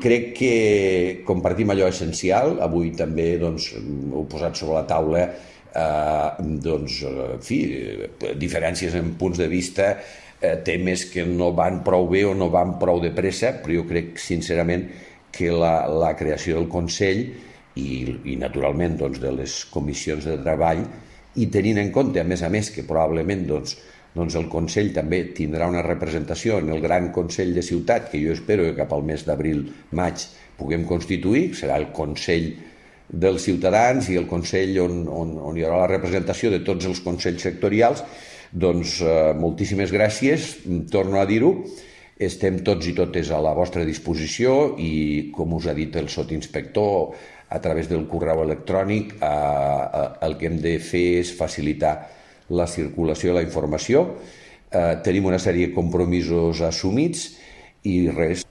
crec que compartim allò essencial. Avui també ho he posat sobre la taula, diferències en punts de vista, temes que no van prou bé o no van prou de pressa, però jo crec sincerament que la creació del Consell i naturalment de les comissions de treball, i tenint en compte, a més, que probablement el Consell també tindrà una representació en el gran Consell de Ciutat, que jo espero que cap al mes d'abril-maig puguem constituir, serà el Consell dels Ciutadans i el Consell on hi haurà la representació de tots els consells sectorials. Doncs moltíssimes gràcies, torno a dir-ho, estem tots i totes a la vostra disposició i, com us ha dit el sotsinspector, a través del correu electrònic el que hem de fer és facilitar la circulació de la informació. Tenim una sèrie de compromisos assumits i res,